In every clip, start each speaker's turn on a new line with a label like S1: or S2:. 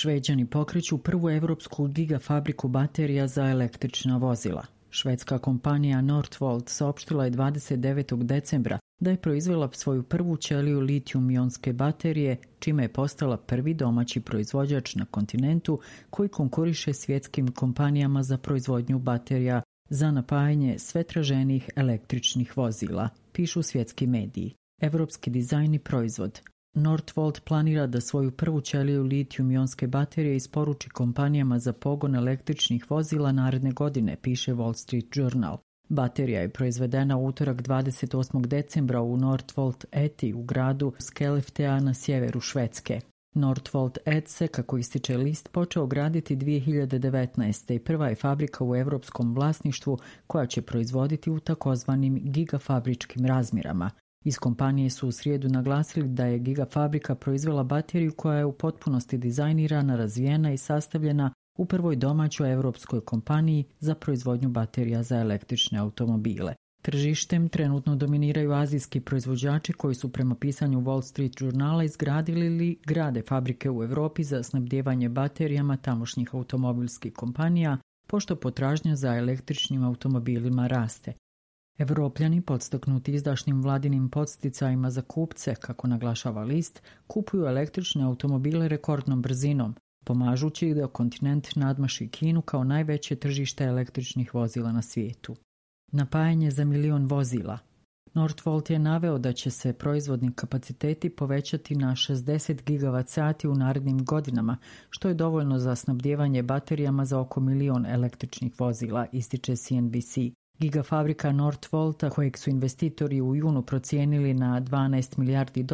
S1: Šveđani pokreću prvu evropsku gigafabriku baterija za električna vozila. Švedska kompanija Northvolt saopštila je 29. decembra da je proizvela svoju prvu ćeliju litijum-ionske baterije, čime je postala prvi domaći proizvođač na kontinentu koji konkuriše svjetskim kompanijama za proizvodnju baterija za napajanje sve traženijih električnih vozila, pišu svjetski mediji. Evropski dizajn i proizvod. Northvolt planira da svoju prvu ćeliju litijum-ionske baterije isporuči kompanijama za pogon električnih vozila naredne godine, piše Wall Street Journal. Baterija je proizvedena u utorak 28. decembra u Northvolt ETI u gradu Skellefteå na sjeveru Švedske. Northvolt ET se, kako ističe list, počeo graditi 2019. i prva je fabrika u evropskom vlasništvu koja će proizvoditi u takozvanim gigafabričkim razmjerama. Iz kompanije su u srijedu naglasili da je gigafabrika proizvela bateriju koja je u potpunosti dizajnirana, razvijena i sastavljena u prvoj domaćoj evropskoj kompaniji za proizvodnju baterija za električne automobile. Tržištem trenutno dominiraju azijski proizvođači koji su prema pisanju Wall Street Journala izgradili ili grade fabrike u Europi za snabdijevanje baterijama tamošnjih automobilskih kompanija, pošto potražnja za električnim automobilima raste. Evropljani, podstaknuti izdašnim vladinim podsticajima za kupce, kako naglašava list, kupuju električne automobile rekordnom brzinom, pomažući da kontinent nadmaši Kinu kao najveće tržište električnih vozila na svijetu. Napajanje za 1 milion vozila. Northvolt je naveo da će se proizvodni kapaciteti povećati na 60 GWh u narednim godinama, što je dovoljno za snabdijevanje baterijama za oko 1 milion električnih vozila, ističe CNBC. Gigafabrika Northvolta, kojeg su investitori u junu procijenili na $12 milijardi,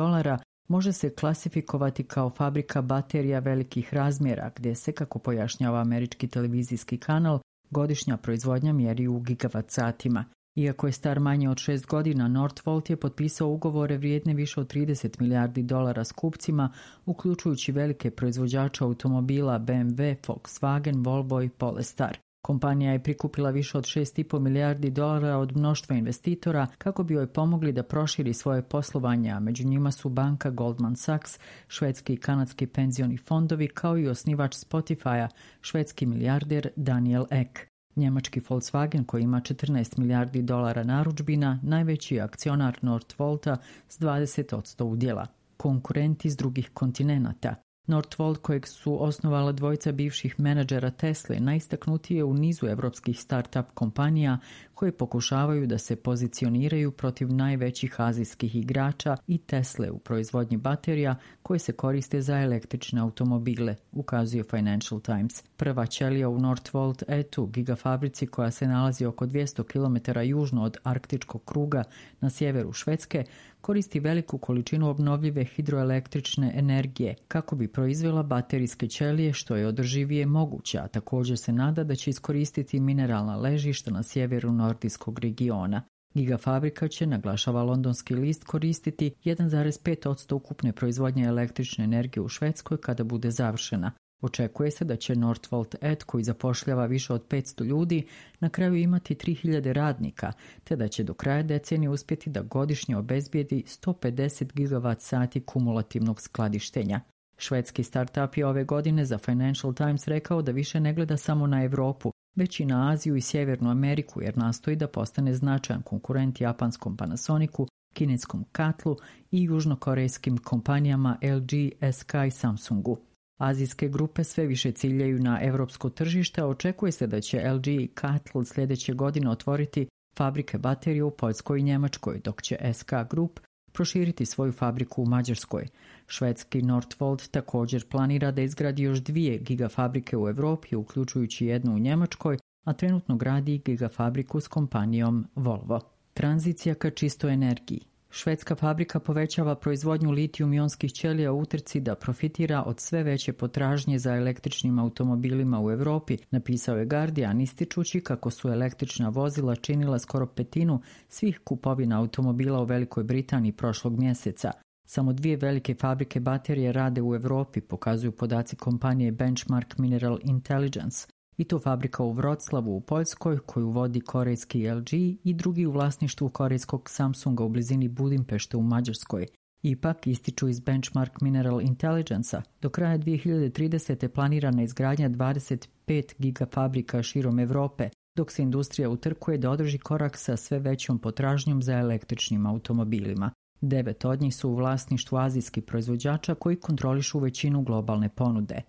S1: može se klasifikovati kao fabrika baterija velikih razmjera, gdje se, kako pojašnjava američki televizijski kanal, godišnja proizvodnja mjeri u gigavatsaatima. Iako je star manje od 6 godina, Northvolt je potpisao ugovore vrijedne više od $30 milijardi s kupcima, uključujući velike proizvođače automobila BMW, Volkswagen, Volvo i Polestar. Kompanija je prikupila više od $6,5 milijardi od mnoštva investitora kako bi joj pomogli da proširi svoje poslovanje, a među njima su banka Goldman Sachs, švedski i kanadski penzioni fondovi, kao i osnivač Spotify-a, švedski milijarder Daniel Ek. Njemački Volkswagen, koji ima $14 milijardi narudžbina, najveći je akcionar Northvolta s 20% udjela. Konkurenti iz drugih kontinenata. Northvolt, kojeg su osnovala dvojica bivših menadžera Tesle, najistaknutiji je u nizu evropskih start-up kompanija koje pokušavaju da se pozicioniraju protiv najvećih azijskih igrača i Tesle u proizvodnji baterija koje se koriste za električne automobile, ukazuje Financial Times. Prva ćelija u Northvolt ETU, gigafabrici koja se nalazi oko 200 km južno od arktičkog kruga na sjeveru Švedske, koristi veliku količinu obnovljive hidroelektrične energije kako bi proizvela baterijske ćelije što je održivije moguće, a također se nada da će iskoristiti mineralna ležišta na sjeveru nordijskog regiona. Gigafabrika će, naglašava londonski list, koristiti 1,5% ukupne proizvodnje električne energije u Švedskoj kada bude završena. Očekuje se da će Northvolt ET, koji zapošljava više od 500 ljudi, na kraju imati 3000 radnika, te da će do kraja decenije uspjeti da godišnje obezbijedi 150 GWh kumulativnog skladištenja. Švedski startup je ove godine za Financial Times rekao da više ne gleda samo na Europu, već i na Aziju i Sjevernu Ameriku, jer nastoji da postane značajan konkurent japanskom Panasonicu, kineskom Katlu i južnokorejskim kompanijama LG, SK i Samsungu. Azijske grupe sve više ciljaju na europsko tržište, a očekuje se da će LG i Katl sljedeće godine otvoriti fabrike baterije u Poljskoj i Njemačkoj, dok će SK Group proširiti svoju fabriku u Mađarskoj. Švedski Northvolt također planira da izgradi još 2 gigafabrike u Europi, uključujući jednu u Njemačkoj, a trenutno gradi gigafabriku s kompanijom Volvo. Tranzicija ka čistoj energiji. Švedska fabrika povećava proizvodnju litijum-ionskih ćelija u utrci da profitira od sve veće potražnje za električnim automobilima u Europi, napisao je Guardian, ističući kako su električna vozila činila skoro 1/5 svih kupovina automobila u Velikoj Britaniji prošlog mjeseca. Samo 2 velike fabrike baterije rade u Europi, pokazuju podaci kompanije Benchmark Mineral Intelligence. I to fabrika u Wroclawu u Poljskoj, koju vodi korejski LG, i drugi u vlasništvu korejskog Samsunga u blizini Budimpešte u Mađarskoj. Ipak, ističu iz Benchmark Mineral Intelligence-a, do kraja 2030. planirana izgradnja 25 gigafabrika širom Evrope, dok se industrija utrkuje da održi korak sa sve većom potražnjom za električnim automobilima. 9 od njih su u vlasništvu azijskih proizvođača koji kontrolišu većinu globalne ponude.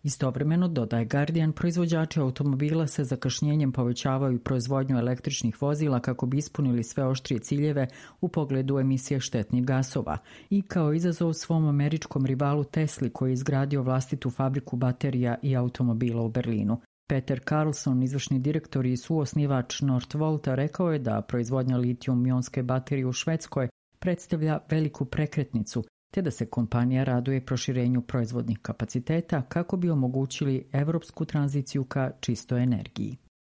S1: Istovremeno, dodaje Guardian, proizvođači automobila sa zakašnjenjem povećavaju proizvodnju električnih vozila kako bi ispunili sve oštrije ciljeve u pogledu emisije štetnih gasova i kao izazov svom američkom rivalu Tesli koji je izgradio vlastitu fabriku baterija i automobila u Berlinu. Peter Carlson, izvršni direktor i suosnivač Northvolta, rekao je da proizvodnja litijum-ionske baterije u Švedskoj predstavlja veliku prekretnicu, te da se kompanija raduje proširenju proizvodnih kapaciteta kako bi omogućili evropsku tranziciju ka čistoj energiji.